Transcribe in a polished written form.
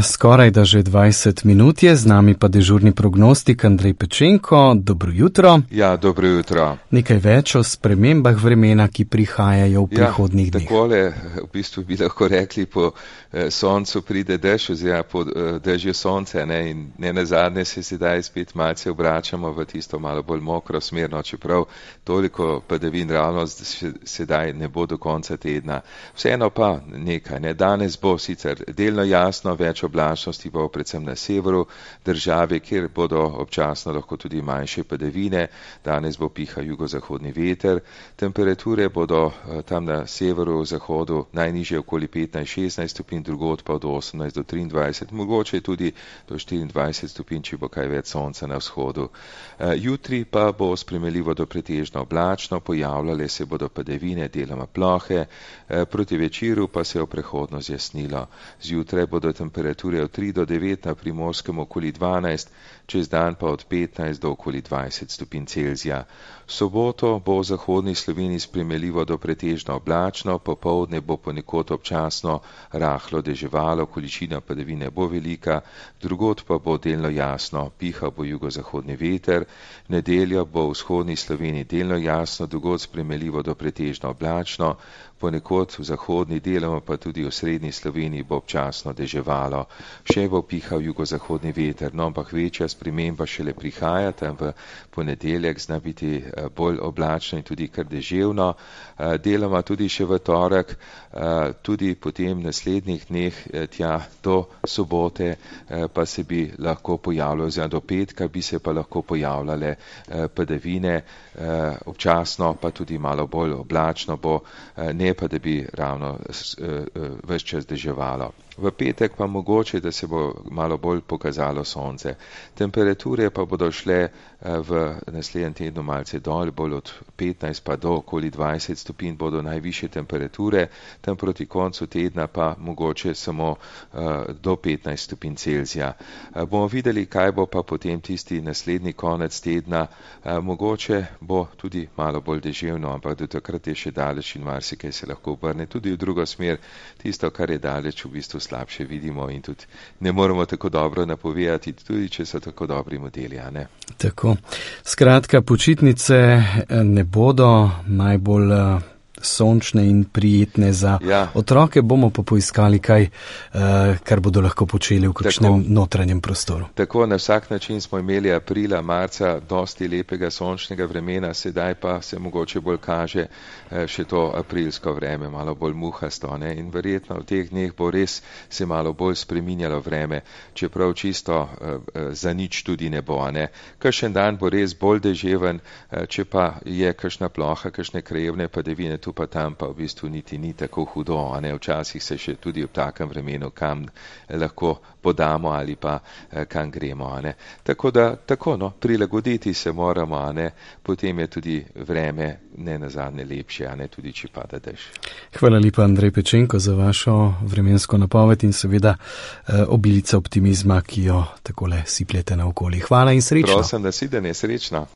Skoraj da že 20 minut je, z nami pa dežurni prognostik Andrej Pečenko. Dobro jutro. Ja, dobro jutro. Nekaj več o spremembah vremena, ki prihajajo v prihodnjih dneh. Takole, v bistvu bi lahko rekli, po soncu pride dež, oziroma po dežju sonce, ne, in ne nazadnje se sedaj spet malce obračamo v tisto malo bolj mokro smerno, čeprav toliko padavin ravno sedaj ne bo do konca tedna. Vseeno pa nekaj, ne, danes bo sicer delno jasno, več oblačnosti bo predvsem na severu države, kjer bodo občasno lahko tudi manjše padavine. Danes bo pihal jugozahodni veter, temperature bodo tam na severu, zahodu najnižje okoli 15-16 stopinj, drugod pa od 18 do 23, mogoče tudi do 24 stopinj, če bo kaj več sonca na vzhodu. Jutri pa bo sprejemljivo do pretežno oblačno, pojavljale se bodo padavine, deloma plohe, proti večeru pa se je v prehodno zjasnilo. Zjutraj bodo temperature od 3 do 9, na Primorskem okoli 12, čez dan pa od 15 do okoli 20 stopinj Celzija. V soboto bo v zahodni Sloveniji sprejemljivo do pretežno oblačno, popoldne bo ponekod občasno rahlo deževalo, količina padavine bo velika, drugod pa bo delno jasno, pihal bo jugozahodni veter. V nedeljo bo v vzhodni Sloveniji delno jasno, drugod sprejemljivo do pretežno oblačno, ponekod v zahodni deloma pa tudi v srednji Sloveniji bo občasno deževalo. Še bo pihal jugozahodni veter, no, ampak večja sprememba šele prihaja, tam v ponedeljek zna biti bolj oblačno in tudi kar deževno, deloma tudi še v torek, tudi potem naslednjih dneh tja do sobote pa se bi lahko pojavljalo, oziroma do petka bi se pa lahko pojavljale padavine, občasno pa tudi malo bolj oblačno bo, ne pa da bi ravno ves čas deževalo. V petek pa mogoče, da se bo malo bolj pokazalo sonce. Temperature pa bodo šle v naslednjem tednu malce dol, bolj od 15 pa do okoli 20 stopinj bodo najvišje temperature, tam proti koncu tedna pa mogoče samo do 15 stopinj Celzija. Bomo videli, kaj bo pa potem tisti naslednji konec tedna, mogoče bo tudi malo bolj deževno, ampak do takrat je še daleč in marsikaj se lahko obrne tudi v drugo smer, tisto, kar je daleč, v bistvu slabše vidimo in tudi ne moremo tako dobro napovedati, tudi če so tako dobri modeli, a ne? Tako. Skratka, počitnice ne bodo najbolj sončne in prijetne za otroke, bomo pa poiskali kaj, kar bodo lahko počeli v kakšnem notranjem prostoru. Tako, na vsak način smo imeli aprila, marca dosti lepega sončnega vremena, sedaj pa se mogoče bolj kaže še to aprilsko vreme, malo bolj muhasto, ne? In verjetno v teh dneh bo res se malo bolj spreminjalo vreme, čeprav čisto za nič tudi ne bo, ne? Kakšen dan bo res bolj deževen, če pa je kakšna ploha, kakšne krajevne padavine, tu pa tam pa v bistvu niti ni tako hudo, a ne, včasih se še tudi v takem vremenu kam lahko podamo ali pa kam gremo, a ne. Tako da, prilagoditi se moramo, a ne, potem je tudi vreme ne nazadnje lepše, a ne, tudi če pada dež. Hvala lepa, Andrej Pečenko, za vašo vremensko napoved in seveda obilica optimizma, ki jo takole sipljete naokoli. Hvala in srečno. Prosim, da si, da ne srečno.